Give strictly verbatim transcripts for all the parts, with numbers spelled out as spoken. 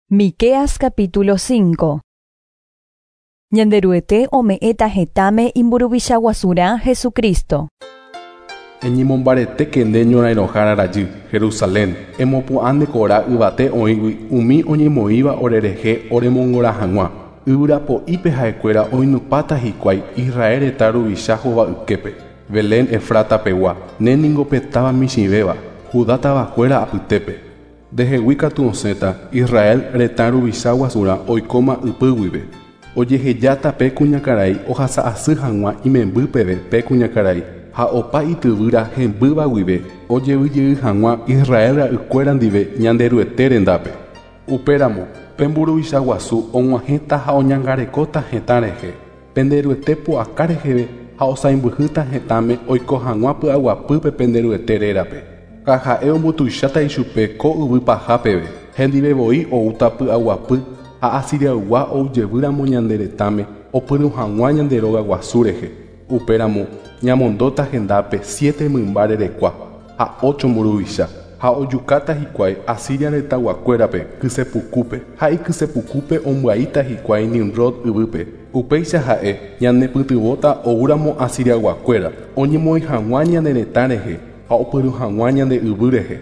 Miqueas capítulo cinco. Ñanderuete ome'ẽta hetãme imburuvicha guasurã Jesucristo. Eñemombaretéke nde ñorairõhára rajy, Jerusalén, emopu'ã nde kora yvate oĩgui umi oñemoĩva orerehe oremongora hag̃ua. Yvyrapo'ípe ha'ekuéra oinupãta hikuái Israel retã ruvicha hova'yképe. Belén Efrata pegua, ne ningo pe táva michĩvéva, Judá tavakuéra apytépe. Ndehegui katu osẽta Israel retã ruvicha guasurã oikóma ypy guive. Ojehejáta pe kuñakarai ohasa'asy hag̃ua imemby peve pe kuñakarai ha opa ityvýra hembýva guive ojevyjey hag̃ua Israel ra'ykuéra ndive Ñanderuete rendápe. Upéramo pe mburuvicha guasu og̃uahẽta ha oñangarekóta hetã rehe, penderuete pu'aka reheve ha osãimbyhýta hetãme oiko hag̃ua py'aguapýpe penderuete rérape. Ha ha'e ombotuicháta ichupe ko yvy paha peve, hendive voi oúta py'aguapy ha Asiriaygua oujevýramo ñande retãme opyrũ hag̃ua ñande róga guasu rehe. Upéramo ñamondóta hendápe siete mymba rerekua ha ocho mburuvicha ha ojukáta hikuái Asiria retãguakuérape kysepukúpe ha ikysepukúpe ombyaíta hikuái Nimrod yvýpe. Upéicha ha'e ñanepytyvõta oúramo Asiriaguakuéra oñemoĩ hag̃ua ñane retã rehe ha opyrũ hag̃ua ñande yvy rehe.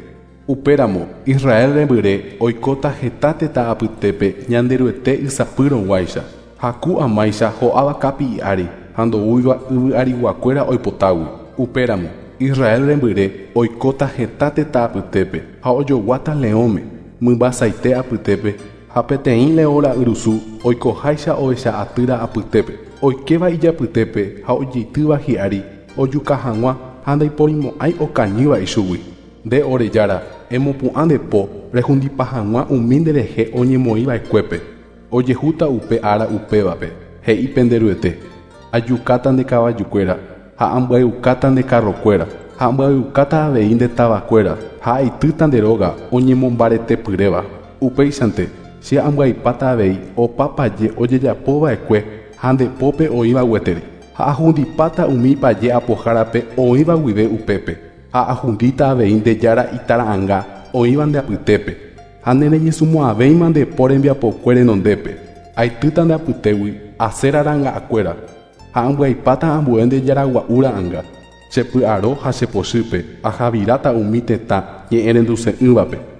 Upéramo Israel rembyre oikóta heta tetã apytépe Ñanderuete ysapýrõguáicha ha ku amáicha ho'áva kapi'i ári ha ndoúiva yvy ariguakuéra oipotágui. Upéramo Israel rembyre oikóta heta tetã apytépe ha ojoguáta leõme mymbasaite apytépe ha peteĩ leõ ra'yrusu oikoháicha ohecha atýra apytépe oikéva ijapytépe ha ojeitýva hi'ári ojuka hag̃ua ha ndaiporimo'ãi okañýva ichugui. Nde ore jára, emopu'ã nde po rehundipa hag̃ua umi nderehe oñemoĩva'ekuépe. Ojehúta upe ára upévape, he'i penderuete. Ajukáta nde kavajukuéra ha ambyaiukáta nde carrokuéra ha ambyaiukáta avei nde tavakuéra ha aitýta nde róga oñemombaretepyréva. Upéichante che ambyaipáta avei opa paje ojejapova'ekue ha nde pópe oĩva gueteri. Ha ahundipáta umi paje apohárape oĩva guive upépe. Ha ahundíta avei nde jára itara'ãnga oĩva nde apytépe. Ha nereñesũmo'ãvéima nde po rembiapokue renondépe. Aitýta nde apytégui Asera ra'ãngakuéra ha ambyaipáta ambue nde jaragua'u ra'ãnga. Chepy'aro ha chepochýpe ahaviráta umi tetã ñe'ẽrenduse'ỹvape.